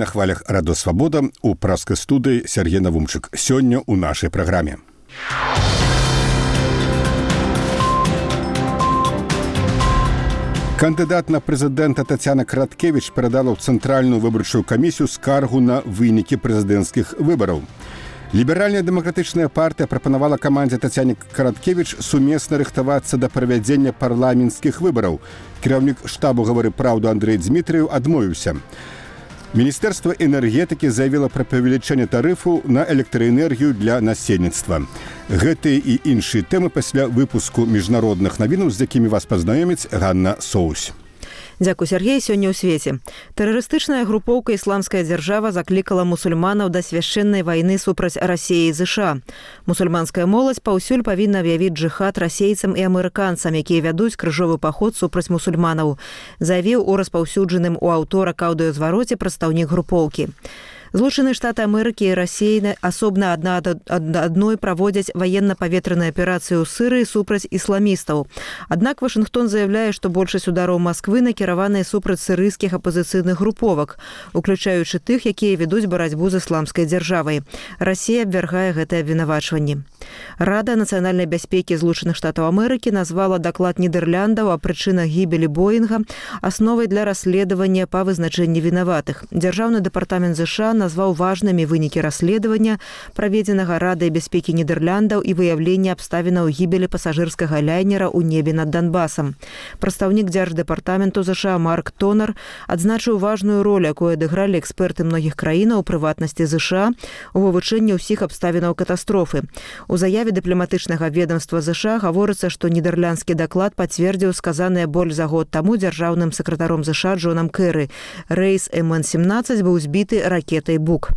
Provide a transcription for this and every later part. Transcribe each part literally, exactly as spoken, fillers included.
на хвалях Радо Свабода у праскай студыі Сергей Навумчык. Сёння ў нашай праграме. Кандыдат на прэзідэнта Тацяна Караткевіч перадала ў Цэнтральную выбарчую камісію скаргу на вынікі прэзідэнцкіх выбараў. Ліберальная дэмакратычная партыя прапанавала камандзе Тацяне Караткевіч сумесна рыхтавацца да правядзення парламенцкіх выбараў. Кіраўнік штабу «Гавары праўду» Андрэй Дзмітрыеў адмовіўся. Міністэрства энергетыкі заявіла пра павелічэнне тарыфу на электраэнергію для насельніцтва. Гэтыя і іншыя тэмы пасля выпуску міжнародных навінаў, з якімі вас пазнаёміць Ганна Соусь. Дзякуй, Сергей. Сёння ў свеце. Тэрарыстычная групоўка «Ісламская дзяржава» заклікала мусульманаў да свяшчэннай вайны супраць Расіі і ЗША. Мусульманская моладзь паўсюль павінна аб'явіць джыхад расейцам і амерыканцам, якія вядуць крыжовы паход супраць мусульманаў, заявіў у распаўсюджаным у аўторак аўдыёзвароце прадстаўнік групоўкі. Злучаныя Штаты Амерыкі і Расіі асобна адна ад адной праводзяць ваенна-паветраныя аперацыі ў Сырыі супраць ісламістаў. Аднак Вашынгтон заяўляе, што большасць удараў Масквы накіраваныя супраць сірыйскіх апазіцыйных груповак, уключаючы тых, якія ведуць барацьбу з ісламскай дзяржавай. Расія абвяргае гэтае абвінавачванне. Рада нацыянальнай бяспекі Злучаных Штатаў Амерыкі назвала даклад Нідэрляндаў о прычынах гібелі Боінга асновай для расследавання па вызначэнні вінаватых. Дзяржаўны дэпартамент ЗША назваў важнымі вынікі расследавання, праведзенага Радай бяспекі Нідэрляндаў і выяўлення абставінаў гібелі пасажырскага лайнера ў небе над Донбасам. Прадстаўнік дзярждэпартаменту ЗША Марк Тонер адзначыў важную ролю, якую адыгралі эксперты многіх краінаў, у прыватнасці ЗША, у вывучэнні ўсіх абставінаў катастрофы. У заяве дыпламатычнага ведомства ЗША гаворыцца, што нідерландскі даклад пацвердзіў сказанае больш за год таму дзяржаўным сакратаром ЗША Джонам Кэры. Рэйс эм эн семнаццаць быў збіты ракетай «Бук».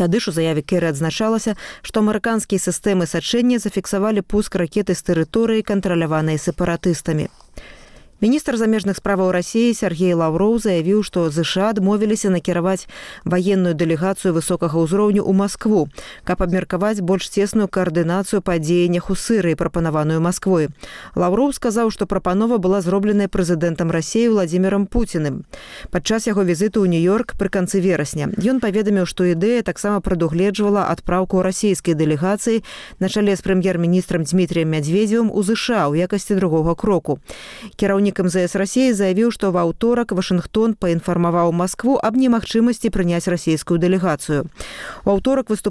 Тады ж у заяве Кэры адзначалася, што амерыканскія сістэмы сачэння зафіксавалі пуск ракеты з тэрыторыі, кантраляванай сепаратыстамі. Міністр замежных справаў Расіі Сергей Лаўроў заявіў, што ЗША адмовіліся накіраваць ваенную дэлегацыю высокага ўзроўню ў Маскву, каб абмеркаваць больш цесную каардынацыю па дзеяннях у Сырыі, прапанаваную Масквой. Лаўроў сказаў, што прапанова была зробленая прэзідэнтам Расіі Владзімірам Пуціным падчас яго візіту ў Нью-Йорк пры канцы верасня. Ён паведаміў, што ідэя таксама прадугледжвала адпраўку расійскай дэлегацыі на чале з прэм'ер-міністрам Дзмітрыем Мядзведзевым у ЗША ў якасці другога кроку. Кіраўнік эм зэ эс Расіі заявіў, што ва ўторак Вашынгтон паінфармаваў Маскву аб немагчымасці прыняць расійскую дэлегацыю. У аўторак выступ